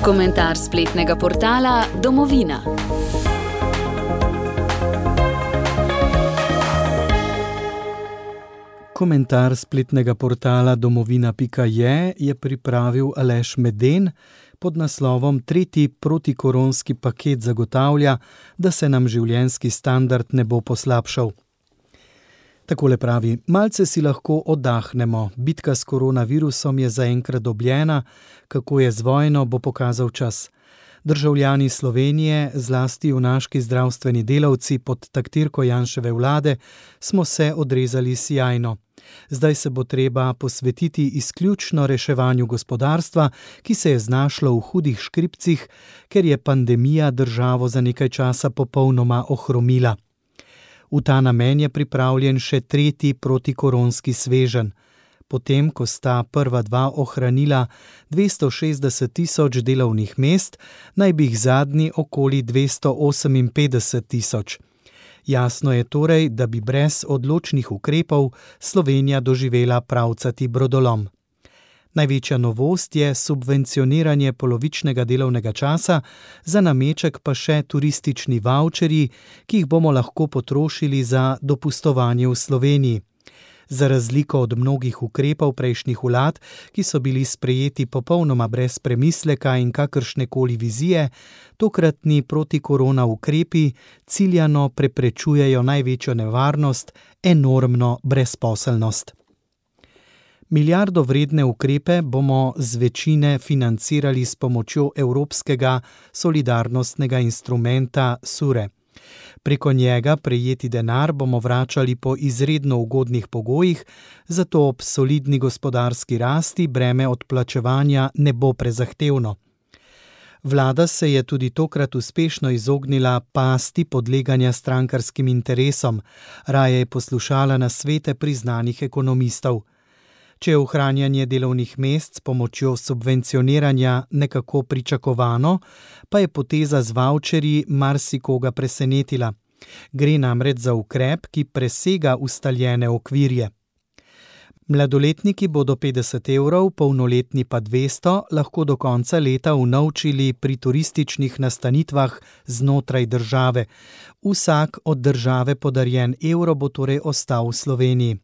Komentar spletnega portala Domovina. Komentar spletnega portala domovina.je je pripravil Aleš Meden pod naslovom Tretji protikoronski paket zagotavlja, da se nam življenjski standard ne bo poslabšal. Takole pravi: malce si lahko oddahnemo, bitka s koronavirusom je zaenkrat dobljena, kako je z vojno, bo pokazal čas. Državljani Slovenije, zlasti junaški zdravstveni delavci pod taktirko Janševe vlade, smo se odrezali sijajno. Zdaj se bo treba posvetiti izključno reševanju gospodarstva, ki se je znašlo v hudih škripcih, ker je pandemija državo za nekaj časa popolnoma ohromila. V ta namen je pripravljen še tretji protikoronski sveženj. Potem, ko sta prva dva ohranila 260 tisoč delovnih mest, naj bi jih zadnji okoli 258 tisoč. Jasno je torej, da bi brez odločnih ukrepov Slovenija doživela pravcati brodolom. Največja novost je subvencioniranje polovičnega delovnega časa, za nameček pa še turistični vavčerji, ki jih bomo lahko potrošili za dopustovanje v Sloveniji. Za razliko od mnogih ukrepov prejšnjih vlad, ki so bili sprejeti popolnoma brez premisleka in kakršnekoli vizije, tokratni protikorona ukrepi ciljano preprečujejo največjo nevarnost, enormno brezposelnost. Milijardo vredne ukrepe bomo z večine financirali s pomočjo Evropskega solidarnostnega instrumenta SURE. Preko njega prejeti denar bomo vračali po izredno ugodnih pogojih, zato ob solidni gospodarski rasti breme odplačevanja ne bo prezahtevno. Vlada se je tudi tokrat uspešno izognila pasti podleganja strankarskim interesom, raje je poslušala nasvete priznanih ekonomistov. Če je ohranjanje delovnih mest s pomočjo subvencioniranja nekako pričakovano, pa je poteza z vavčerji marsikoga presenetila. Gre namreč za ukrep, ki presega ustaljene okvirje. Mladoletniki bodo 50 evrov, polnoletni pa 200, lahko do konca leta unovčili pri turističnih nastanitvah znotraj države. Vsak od države podarjen evro bo torej ostal v Sloveniji.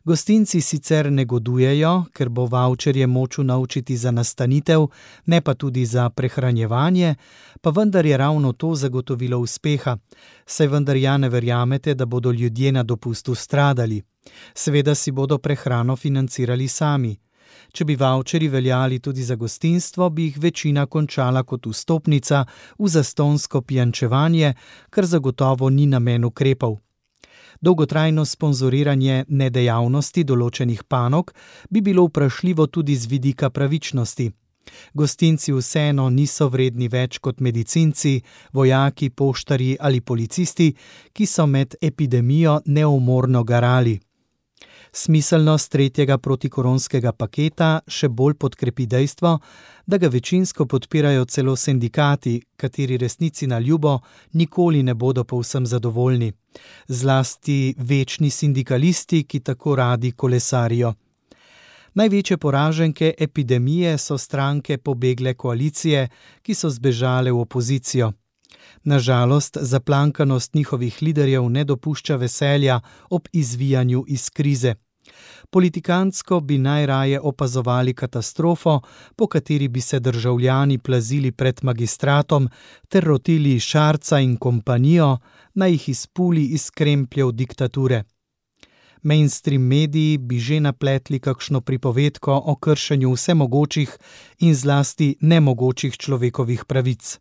Gostinci sicer negodujejo, ker bo vavčerje moč unovčiti za nastanitev, ne pa tudi za prehranjevanje, pa vendar je ravno to zagotovilo uspeha. Saj vendar ja ne verjamete, da bodo ljudje na dopustu stradali. Seveda si bodo prehrano financirali sami. Če bi vavčerji veljali tudi za gostinstvo, bi jih večina končala kot vstopnica v zastonjsko pijančevanje, kar zagotovo ni namen ukrepov. Dolgotrajno sponzoriranje nedejavnosti določenih panog bi bilo vprašljivo tudi z vidika pravičnosti. Gostinci vseeno niso vredni več kot medicinci, vojaki, poštarji ali policisti, ki so med epidemijo neumorno garali. Smiselnost tretjega protikoronskega paketa še bolj podkrepi dejstvo, da ga večinsko podpirajo celo sindikati, kateri resnici na ljubo nikoli ne bodo povsem zadovoljni. Zlasti večni sindikalisti, ki tako radi kolesarijo. Največje poraženke epidemije so stranke pobegle koalicije, ki so zbežale v opozicijo. Nažalost, zaplankanost njihovih liderjev ne dopušča veselja ob izvijanju iz krize. Politikantsko bi najraje opazovali katastrofo, po kateri bi se državljani plazili pred magistratom ter rotili Šarca in kompanijo, naj jih izpuli iz krempljev diktature. Mainstream mediji bi že napletli kakšno pripovedko o kršenju vsemogočih in zlasti nemogočih človekovih pravic.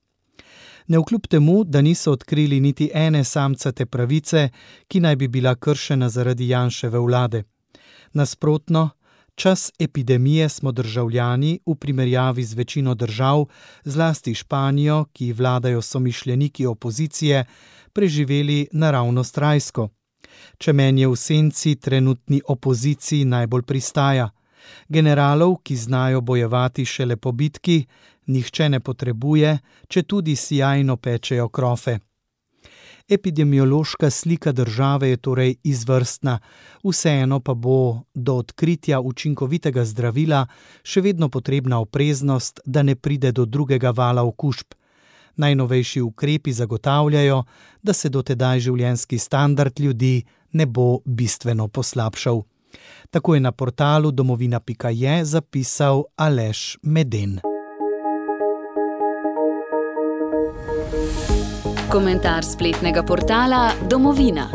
Navkljub temu, da niso odkrili niti ene samcate pravice, ki naj bi bila kršena zaradi Janševe vlade. Nasprotno, čas epidemije smo državljani v primerjavi z večino držav, zlasti Španijo, ki vladajo somišljeniki opozicije, preživeli naravnost rajsko. Čemen je v senci trenutni opoziciji najbolj pristaja. Generalov, ki znajo bojevati šele po bitki, nihče ne potrebuje, če tudi sijajno pečejo krofe. Epidemiološka slika države je torej izvrstna, vseeno pa bo do odkritja učinkovitega zdravila še vedno potrebna opreznost, da ne pride do drugega vala okužb. Najnovejši ukrepi zagotavljajo, da se dotedaj življenjski standard ljudi ne bo bistveno poslabšal. Tako je na portalu domovina.je zapisal Aleš Meden. Komentar spletnega portala Domovina.